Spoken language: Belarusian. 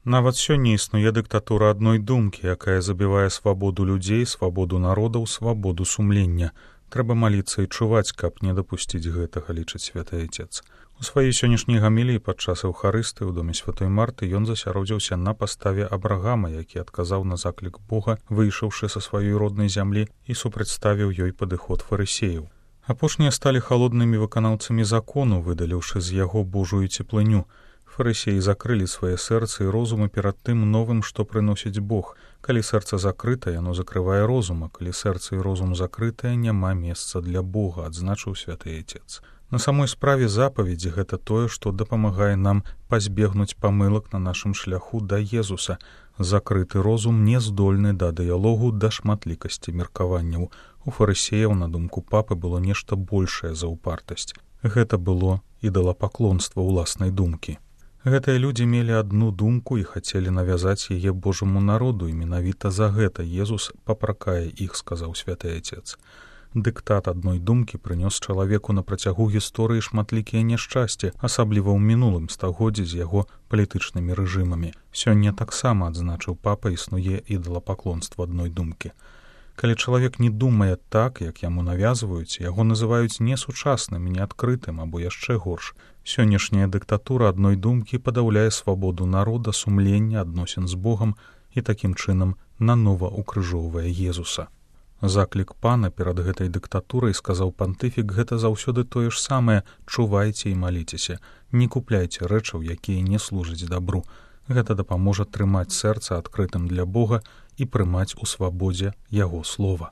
Нават сёння існуе дыктатура адной думкі, якая забівае свабоду людзей, свабоду народаў, свабоду сумлення. Трэба маліцца і чуваць, каб не дапусціць гэтага, лічыць святы Отец. У сваёй сённяшняй гаміліі падчас эўхарыстыі ў доме святой Марты ён засяродзіўся на паставе Абрагама, які адказаў на заклік Бога, выйшаўшы са сваёй роднай зямлі і супрадставіў ёй падыход фарысеяў. Апошнія сталі халоднымі выканаўцамі закону, выдаліўшы з яго Божую цеплыню. Фарысеі закрылі свае сэрцы і розумы перад тым новым, што прыносіць Бог. Калі сэрца закрыта, яно закрывае розум, а калі сэрца і розум закрытае, няма месца для Бога, адзначыў святы Отец. На самой справе запаведзі гэта тое, што дапамагае нам пазбегнуць памылак на нашым шляху да Езуса. Закрыты розум не здольны да дыялогу, да шматлікасці меркаванняў. У фарысеяў, на думку папы, было нешта большае за упартасць. Гэта было ідалапаклонства ўласнай думкі. Гэтыя людзі мелі адну думку і хацелі навязаць яе Божаму народу, і менавіта за гэта Езус папракае іх, сказаў святы Отец. Дыктат адной думкі прынёс чалавеку на працягу гісторыі шматлікія няшчасці, асабліва ў мінулым стагоддзі з яго палітычнымі рэжымамі. Сёння таксама, адзначыў папа, існуе ідалапаклонства адной думкі. Калі чалавек не думае так, як яму навязваюць, яго называюць несучасным, неадкрытым або яшчэ горш. Сённяшняя дыктатура адной думкі падаўляе свабоду народа, сумлення, адносін з Богам і такім чынам нанова укрыжоўвае Езуса. Заклік пана перад гэтай дыктатурай, сказаў пантыфік, гэта заўсёды тое ж самае: чувайце і маліцеся, не купляйце рэчаў, якія не служаць дабру. Гэта дапаможа трымаць сэрца адкрытым для Бога і прымаць у свабодзе яго слова.